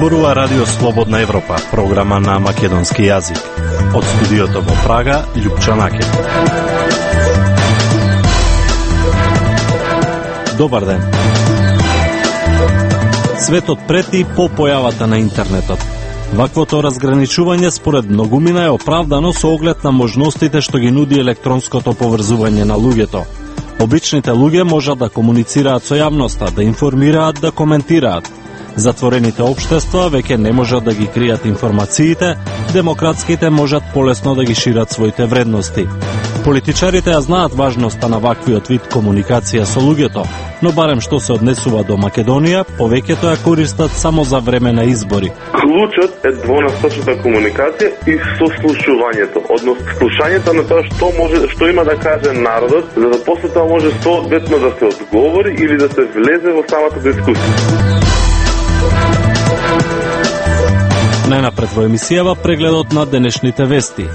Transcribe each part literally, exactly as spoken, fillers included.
Зборува Радио Слободна Европа, програма на македонски јазик. Од студиото во Прага, Љупча Накет. Добар ден. Светот прети по појавата на интернетот. Ваквото разграничување според многумина е оправдано со оглед на можностите што ги нуди електронското поврзување на луѓето. Обичните луѓе можат да комуницираат со јавноста, да информираат, да коментираат. Затворените општества веќе не можат да ги кријат информациите, демократските можат полесно да ги шират своите вредности. Политичарите ја знаат важноста на ваквиот вид комуникација со луѓето, но барем што се однесува до Македонија, повеќето ја користат само за време на избори. Клучот е двонасочната комуникација и сослушувањето, односно слушањето на тоа што може, што има да каже народот, за да после тоа може соодветно да се одговори или да се влезе во самата дискусија. Најнапред во емисијава прегледот на денешните вести.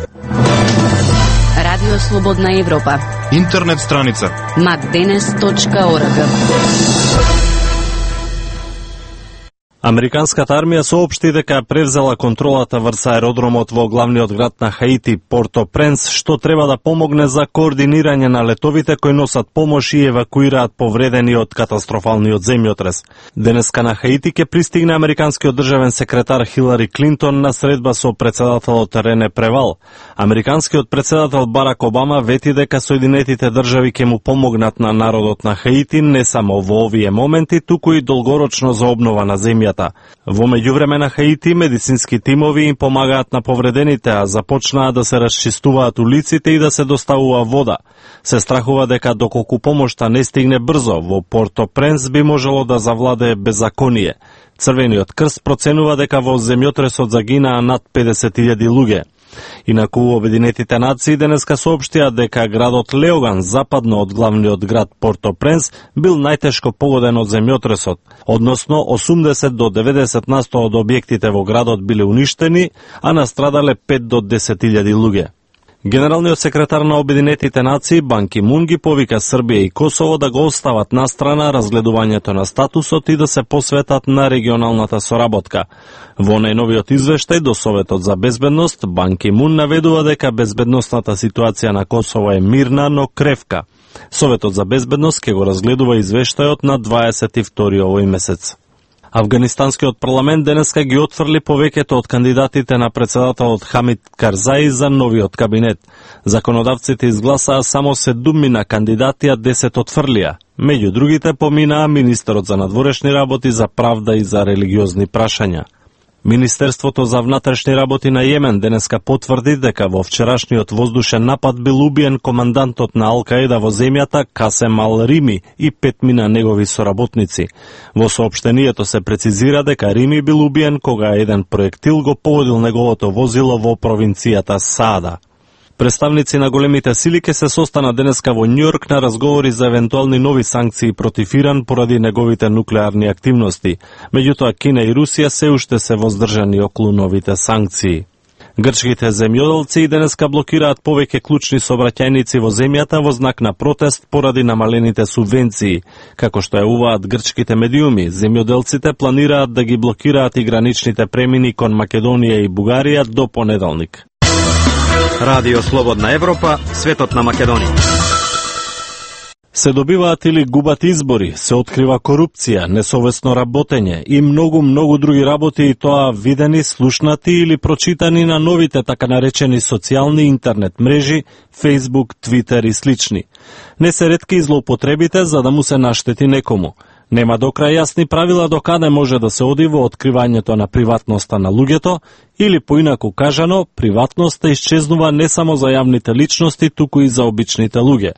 Радио Слободна Европа. Интернет страница мак денес точка орг. Американската армија соопшти дека превзела контролата врз аеродромот во главниот град на Хаити, Порто-Пренс, што треба да помогне за координирање на летовите кои носат помош и евакуираат повредени од катастрофалниот земјотрес. Денеска на Хаити ќе пристигне американскиот државен секретар Хилари Клинтон на средба со председателот Рене Превал. Американскиот председател Барак Обама вети дека Соединетите држави ќе му помогнат на народот на Хаити не само во овие моменти, туку и долгорочно за обнова на земјата. Во меѓувреме на Хаити медицински тимови им помагаат на повредените, а започнаа да се расчистуваат улиците и да се доставува вода. Се страхува дека доколку помошта не стигне брзо, во Порто-Пренс би можело да завладее беззаконие. Црвениот крст проценува дека во земјотресот загинаа над педесет илјади луѓе. Инаку Обединетите нации денеска соопштија дека градот Леоган, западно од главниот град Порто-Пренс, бил најтешко погоден од земјотресот, односно осумдесет до деветдесет на сто од објектите во градот биле уништени, а настрадале пет до десет илјади луѓе. Генералниот секретар на Обединетите нации Бан Ки Мун ги повика Србија и Косово да го остават настрана разгледувањето на статусот и да се посветат на регионалната соработка. Во најновиот извештај до Советот за безбедност, Бан Ки Мун наведува дека безбедносната ситуација на Косово е мирна, но кревка. Советот за безбедност ќе го разгледува извештајот на дваесет и втори овој месец. Афганистанскиот парламент денеска ги отфрли повеќето од кандидатите на председателот Хамид Карзаи за новиот кабинет. Законодавците изгласаа само седумина кандидати, а десет отфрлија. Меѓу другите поминаа министерот за надворешни работи, за правда и за религиозни прашања. Министерството за внатрешни работи на Јемен денеска потврди дека во вчерашниот воздушен напад бил убиен командантот на Ал-Каида во земјата Касем Ал-Рими и петмина негови соработници. Во соопштението се прецизира дека Рими бил убиен кога еден проектил го погодил неговото возило во провинцијата Саада. Представници на големите сили ќе се состанат денеска во Њујорк на разговори за евентуални нови санкции против Иран поради неговите нуклеарни активности. Меѓутоа Кина и Русија се уште се воздржани околу новите санкции. Грчките земјоделци денеска блокираат повеќе клучни сообраќајници во земјата во знак на протест поради намалените субвенции. Како што јавуваат грчките медиуми, земјоделците планираат да ги блокираат и граничните премини кон Македонија и Бугарија до понеделник. Радио Слободна Европа, светот на Македонија. Се добиваат или губат избори, се открива корупција, несовесно работење и многу, многу други работи, и тоа видени, слушнати или прочитани на новите така наречени социјални интернет мрежи, Facebook, Twitter и слични. Не се ретки злоупотребите за да му се наштети некому. Нема до крај јасни правила до каде може да се оди во откривањето на приватноста на луѓето, или поинаку кажано, приватноста исчезнува не само за јавните личности, туку и за обичните луѓе.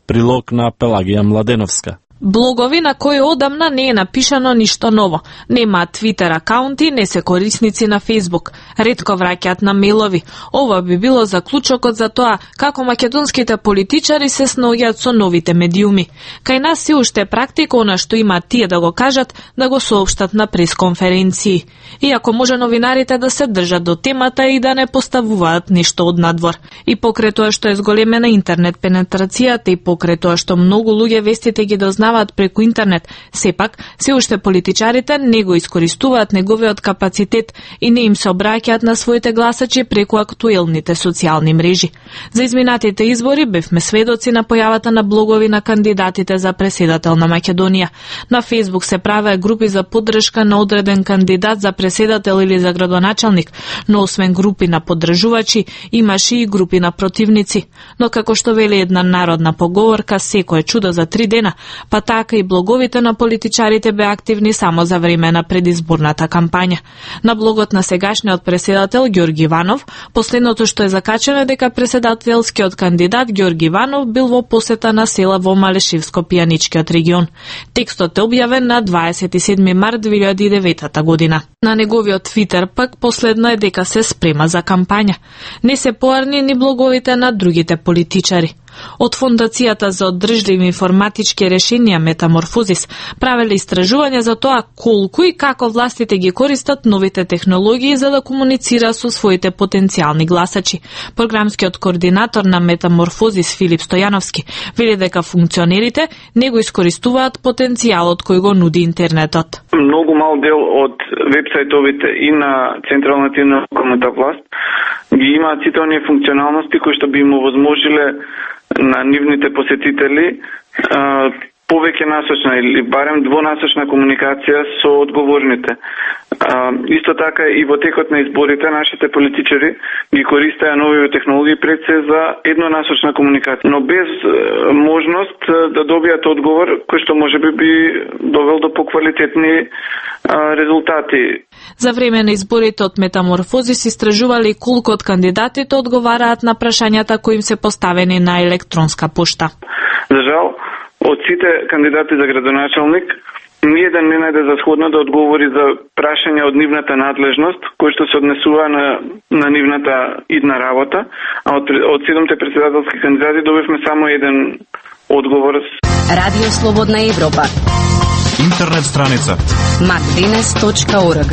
Прилог на Пелагија Младеновска. Блогови на кои одамна не е напишано ништо ново. Нема Твитер акаунти, не се корисници на Фейсбук. Ретко враќаат на мејлови. Ова би било заклучокот за тоа како македонските политичари се снаоѓаат со новите медиуми. Кај нас се уште практика она што има тие да го кажат, да го соопштат на пресконференции. Иако може новинарите да се држат до темата и да не поставуваат ништо од надвор. И покрај тоа што е зголемена интернет пенетрацијата и покрај тоа што многу луѓе вестите ги дознаваат преку интернет, сепак се уште политичарите не го искористуваат неговиот капацитет и не им се обраќаат на своите гласачи преку актуелните социјални мрежи. За изминатите избори бевме сведоци на појавата на блогови на кандидатите за преседател на Македонија. На Фейсбук се правеа групи за поддршка на одреден кандидат за преседател или за градоначалник, но освен групи на поддржувачи, имаше и групи на противници. Но како што вели една народна поговорка, секое чудо за три дена, па така и блоговите на политичарите беа активни само за време на предизборната кампања. На блогот на сегашниот преседател Ѓорги Иванов, последното што е закачено е дека преседателскиот кандидат Ѓорги Иванов бил во посета на села во Малешевско-Пијаничкиот регион. Текстот е објавен на дваесет и седми март две илјади и девета година. На неговиот Твитер пак последно е дека се спрема за кампања. Не се поарни ни блоговите на другите политичари. Од Фондацијата за оддржливи информатички решенија Метаморфозис правеле истражување за тоа колку и како властите ги користат новите технологии за да комуницира со своите потенцијални гласачи. Програмскиот координатор на Метаморфозис Филип Стојановски вели дека функционерите не го искористуваат потенцијалот кој го нуди интернетот. Многу мал дел од вебсајтовите и на централната и на локалната власт ги имаат сите оние функционалности кои што би им овозможиле на нивните посетители а, повеќе насочна или барем двонасочна комуникација со одговорните. А, исто така и во текот на изборите нашите политичари ги користеа нови технологии пред се за еднонасочна комуникација, но без е, можност да добијат одговор кој што можеби би довел до поквалитетни е, резултати. За време на изборите од Метаморфозис истражувале колку од кандидатите одговараат на прашањата кои им се поставени на електронска пошта. За жал, од сите кандидати за градоначалник, ниеден не најде за сходно да одговори за прашања од нивната надлежност, кои што се однесува на, на нивната идна работа, а од, од седумте председателски кандидати добивме само еден одговор. Радио Слободна Европа. Интернет страница мак денес точка орг.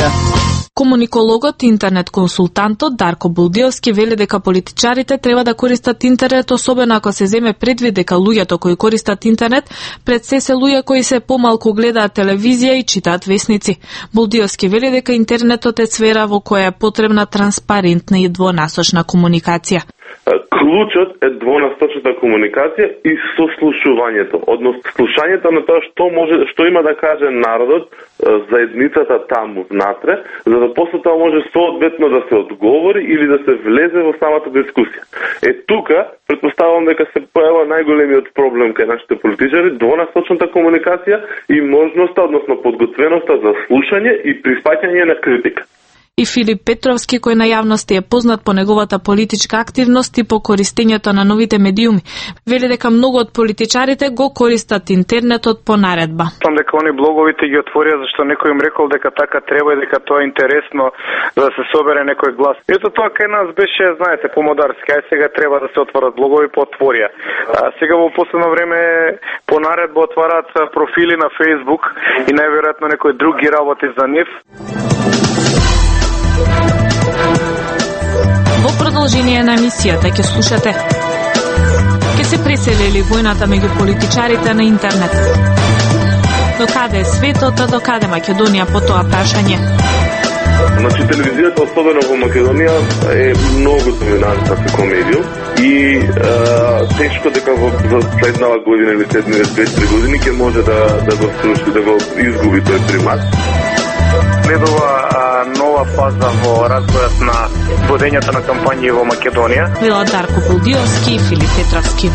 Комуникологот и интернет консултантот Дарко Булдиовски вели дека политичарите треба да користат интернет, особено ако се земе предвид дека луѓето кои користат интернет пред се се луѓе кои се помалку гледаат телевизија и читаат весници. Булдиовски вели дека интернетот е сфера во која е потребна транспарентна и двонасочна комуникација. Клучот е двонасочната комуникација и сослушувањето, односно слушањето на тоа што може, што има да каже народот, заедницата таму внатре, за да после тоа може соодветно да се одговори или да се влезе во самата дискусија. Е тука претпоставувам дека се појава најголемиот проблем кај нашите политичари, двонасочната комуникација и можноста, односно подготвеноста за слушање и прифаќање на критика. И Филип Петровски, кој на јавност е познат по неговата политичка активност и по користењето на новите медиуми, вели дека многу од политичарите го користат интернетот по наредба. Сам дека они блоговите ги отворија зашто некој им рекол дека така треба и дека тоа е интересно за да се собере некој глас. Ето тоа кај нас беше, знаете, помодарски, ај сега треба да се отворат блогови, по отворија. А сега во последно време по наредба отвараат профили на Facebook и најверојатно некој друг ги работи за нив. Во продолжение на емисијата ќе слушате: ќе се преселили војната меѓу политичарите на интернет? До каде е светот, а до каде Македонија по тоа прашање? Значи, телевизијата, особено во Македонија, е многу доминантна како медиум и е, тешко дека во следнава година или следните две-три години ќе може да, да го сруши, да го изгуби тој примат. Следува а, нова фаза во развојот на водењето на кампањи во Македонија. Било Дарко Булдиовски и Филип Петровски.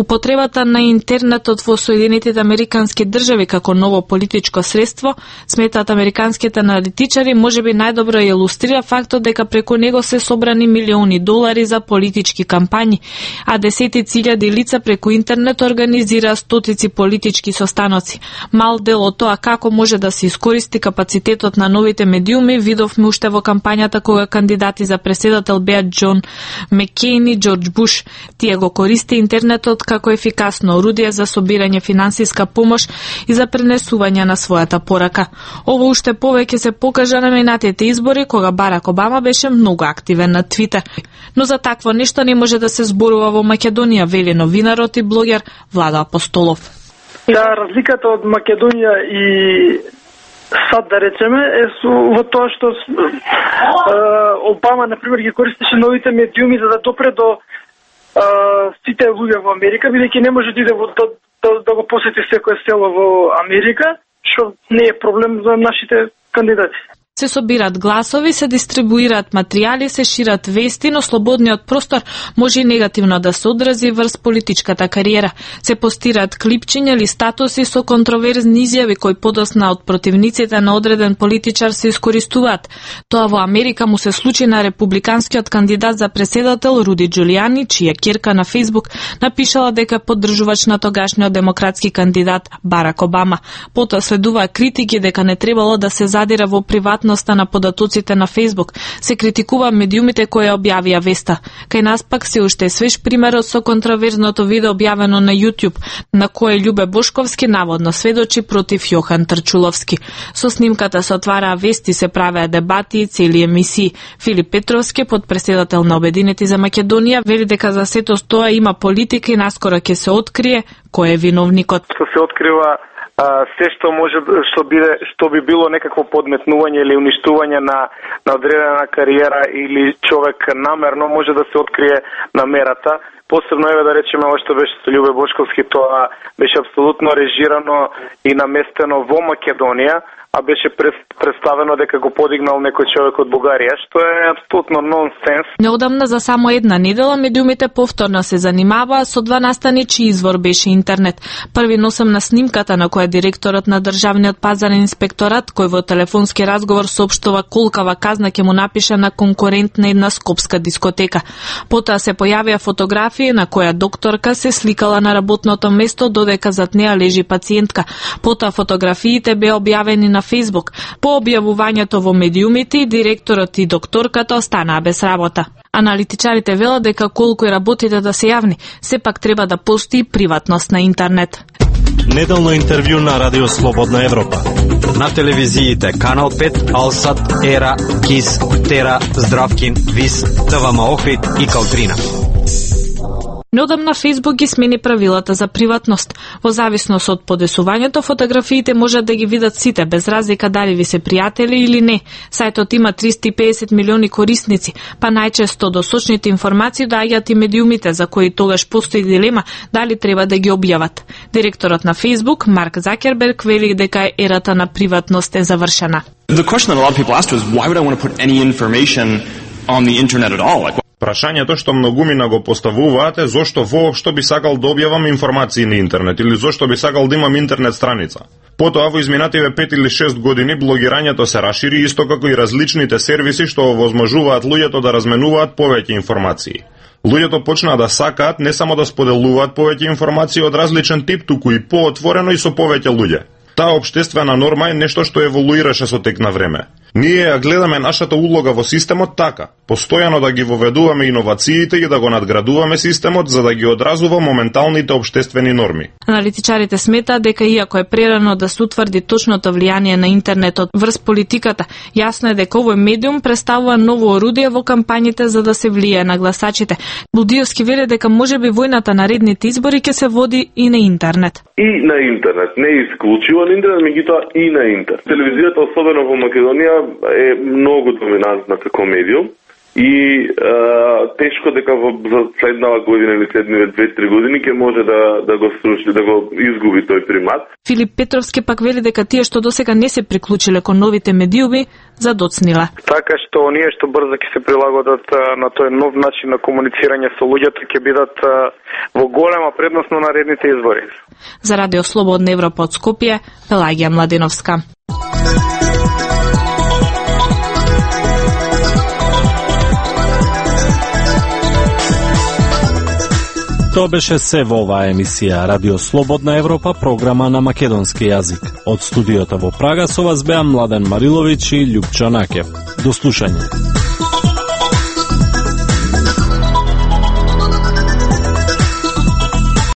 Употребата на интернетот во Соединетите Американски држави како ново политичко средство, сметаат американските аналитичари, можеби најдобро илустрира фактот дека преку него се собрани милиони долари за политички кампањи, а десетици илјади лица преку интернет организира стотици политички состаноци. Мал дел од тоа како може да се искористи капацитетот на новите медиуми видовме уште во кампањата кога кандидати за преседател беа Џон Меккејн и Џорџ Буш. Тие го користи интернетот како ефикасно орудие за собирање финансиска помош и за пренесување на својата порака. Ово уште повеќе се покажа на минатите избори кога Барак Обама беше многу активен на Твитер. Но за такво нешто не може да се зборува во Македонија, вели новинарот и блогер Владо Апостолов. Да, разликата од Македонија и САД, да речеме, е со, во тоа што е, Обама, например, ги користеше новите медиуми за да допре до е, сите луѓе во Америка, бидејќи не може да иде во, да, да, да го посети секое село во Америка, што не е проблем за нашите кандидати. Се собират гласови, се дистрибуираат материјали, се шират вести, но слободниот простор може и негативно да се одрази врз политичката кариера. Се постираат клипчиња или статуси со контроверзни изјави кои подосна од противниците на одреден политичар се искористуваат. Тоа во Америка му се случи на републиканскиот кандидат за преседател Руди Џулијани, чија ќерка на Фејсбук напишала дека поддржувач на тогашниот демократски кандидат Барак Обама. Потоа следуваа критики дека не требало да се задира во приватно на податоците на Фејсбук, се критикува медиумите кои објавија веста. Кај нас пак се уште свеж примерот со контроверзното видео објавено на YouTube, на кое Љубе Бошковски наводно сведочи против Јохан Трчуловски. Со снимката се отвараа вести, се правеа дебати и цели емисии. Филип Петровски, подпреседател на Обединети за Македонија, вели дека за сето тоа има политика и наскоро ќе се открие кој е виновникот. Се открива се што може што биде што би било некакво подметнување или уништување на на одредена кариера или човек намерно може да се открие намерата. Посебно еве да речеме ова што беше со Љубе Бошковски, тоа беше апсолутно режирано и наместено во Македонија, а беше представено дека го подигнал некој човек од Бугарија, што е апсолутно нонсенс. Неодамна за само една недела медиумите повторно се занимаваа со два настани чиј извор беше интернет. Први носам на снимката на која директорот на Државниот пазарен инспекторат, кој во телефонски разговор соопштува колкава казна ќе му напише на конкурент на една скопска дискотека. Потоа се појавија фотографии на која докторка се сликала на работното место додека зад неа лежи пациентка. Потоа фотографиите беа објавени на Фејсбук. По објавувањето во медиумите, директорот и докторката останаа без работа. Аналитичарите велат дека колку и работите да се јавни, сепак треба да постои приватност на интернет. Неделно интервју на Радио Слободна Европа. На телевизиите Канал пет, Алсат, Ера, Кис, Тера, Здравкин, Вис, ТВМ Охрид и Калтрина. Неодамна Фејсбук ги смени правилата за приватност. Во зависност од подесувањето, фотографиите можат да ги видат сите, без разлика дали ви се пријатели или не. Сајтот има триста и педесет милиони корисници, па најчесто до сочните информации доаѓаат и медиумите, за кои тогаш постои дилема дали треба да ги објават. Директорот на Фејсбук, Марк Закерберг, вели дека ерата на приватност е завршена. The question that a lot of people asked was why would I want to put any information on the internet at all? Like, прашањето што многумина го поставуваат е зошто воопшто би сакал да објавам информации на интернет или зошто би сакал да имам интернет страница. Потоа во изминативе пет или шест години блогирањето се расшири исто како и различните сервиси што овозможуваат луѓето да разменуваат повеќе информации. Луѓето почнаа да сакаат не само да споделуваат повеќе информации од различен тип, туку и поотворено и со повеќе луѓе. Таа општествена норма е нешто што еволуираше со тек на време. Ние ја гледаме нашата улога во системот така, постојано да ги воведуваме иновациите и да го надградуваме системот за да ги одразува моменталните општествени норми. Аналитичарите сметаат дека иако е прерано да се утврди точното влијание на интернетот врз политиката, јасно е дека овој медиум представува ново орудие во кампањите за да се влијае на гласачите. Будиовски вели дека можеби војната на редните избори ќе се води и на интернет. И на интернет, не исклучиво на интернет, меѓутоа и на интернет. Телевизијата, особено во Македонија, е многу доминантна како медиум и а, тешко дека во за следнава година или следниве две-три години ќе може да да го сруши, да го изгуби тој примат. Филип Петровски пак вели дека тие што досега не се приклучиле кон новите медиуми задоцниле. Така што оние што брзо ќе се прилагодат на тој нов начин на комуницирање со луѓето ќе бидат во голема предност на наредните избори. За Радио Слободна Европа од Скопје, Пелагија Младеновска. Тоа беше се во оваа емисија Радио Слободна Европа, програма на македонски јазик. Од студиото во Прага со вас беа Младен Мариловиќ и Љупчо Накев. До слушање.